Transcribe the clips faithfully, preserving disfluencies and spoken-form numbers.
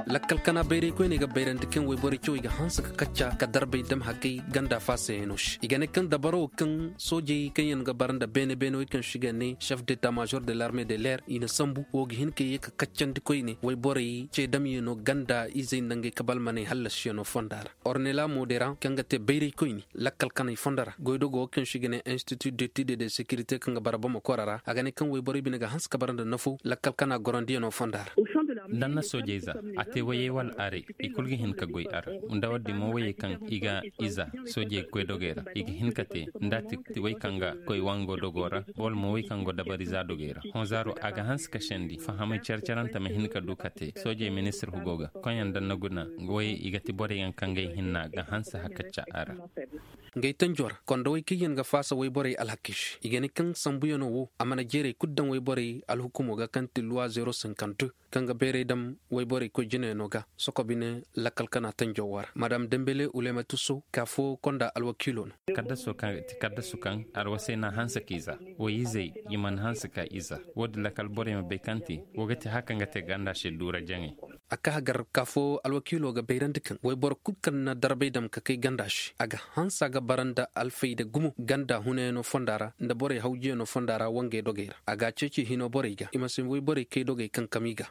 Lakkal kana bayray koyney ga bayrandi kaŋ wayborey cawey ga hanse ka kacca ka darbay dam haggay ganda faasayano se. I ga ne kaŋ dabaro kaŋ soojey kaŋ yaŋ ga bara nda beene beene wey kaŋ se i ga ne chef d'état major de l'armée de l'air i na sambu wo ga hin ka ye ka kaccandi koyne wayborey ce damyano ganda izey nda ngey kabalmaney hallasiyano fonda ra. Ornela modera kaŋ ga te bayray koyne lakkal kanay fonda ra goydogo wo kaŋ se i ga ne institut d'étude de sécurité kaŋ ga bara bama kora ra a ga ne kaŋ wayborey bine ga hanse ka bara nda nafo lakkal kana gorandiyano fonda ra. Danna soojey za a te wayey wala aray i kulu ga hin ka goy a ra. Nda waddi mo wayey kaŋ i ga iza soojey ga koy dogey ra i ga hin ka te nda a ti way kaŋ ga koy wango dogo ra wala mo way kaŋ go dabari za dogey ra. Honzaaro a ga hanse ka sendi fahamay care carante ma hin ka du ka te soojey ministir hugo ga koyyaŋ danna guna. Wayey i ga ti borey yaŋ kaŋ gay hinna ga hanse hakacca a ra. Ngey tanjo ra kondo way kaŋ yaŋ ga faasa wayborey alhakey se i ga ne kaŋ sambuyano wo a mana jeeray kulu daŋ wayborey alhukumo ga kaŋ ti luwa zero cinquante kaŋ ga bayray dam wayborey koy jinayano ga soko bine lakkal kana tanjo wo ra madam dembele ulematuso ka fo konda alwakiilo no. Kaddasu kaŋ arwasay n'a hanse k'i za. Way-izey i mana hanse ka i za. Wo- din lakkal borey ma bay kaŋ ti wo ga ti haya kaŋ ga te ganda se duura jaŋay. A ka hagar ka fo alwakiilo ga bayrandi kaŋ wayboro kulu kaŋ na darbay dam ka kay ganda se a ga hanse a ga bara nda alfayda gumo ganda hunayano fonda ra nda borey hawjiyano fonda ra wangey dogey ra a ga a ceeci hino borey ga i ma si wayborey kay dogey kankami ga.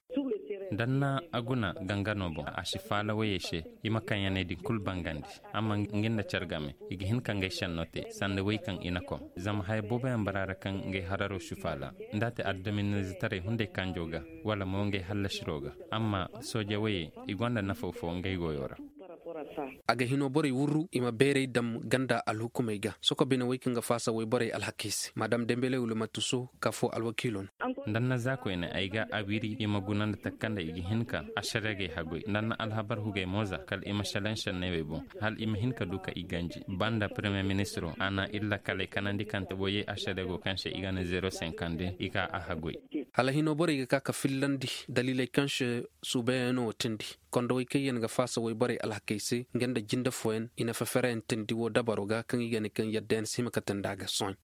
Danna a guna gangano boŋ a si faala wayey se. I ma kaŋ yaney din kulu bangandi amma nga nda care game i ga hin ka ngey senno te sanda way kaŋ i na kom. Zama haya booboyaŋ bara ra kaŋ ngey hararo si faala nda a te addaminizitaray hunday kanjo ga wala mo ngey hallasiro ga. Amma sooje wayey i gonda nafaw fo ngey goyo ra. A ga hino borey wurru i ma beeray dam ganda alhukumey ga soko bine way kaŋ ga faasa wayborey alhakey se madam dembele wala matuso ka fo alwakiilo no. Nda annaza koyne ay ga a wiri i ma guna nda takka nda i ga hin ka asaragey haggoy nda anna alhabar hugey mo za kala i ma selaŋ senney wey boŋ hala i ma hin ka du ka i ganji. Banda premier ministiro a na iri lakkaley kanandi kaŋ te woyey asarago kaŋ se i ga ne zero senkande i ka a haggoy. Hala hino borey ga ka ka fillandi daliiley kaŋ se suubayaŋ no wo tindi. Kondowey kaŋ yaŋ ga faasa wayborey alhakey se nga nda jinde fooyaŋ i na feferayaŋ tindi wo dabaro ga kaŋ i ga ne kaŋ yadda yaŋ si hima ka tindi a ga sohõ.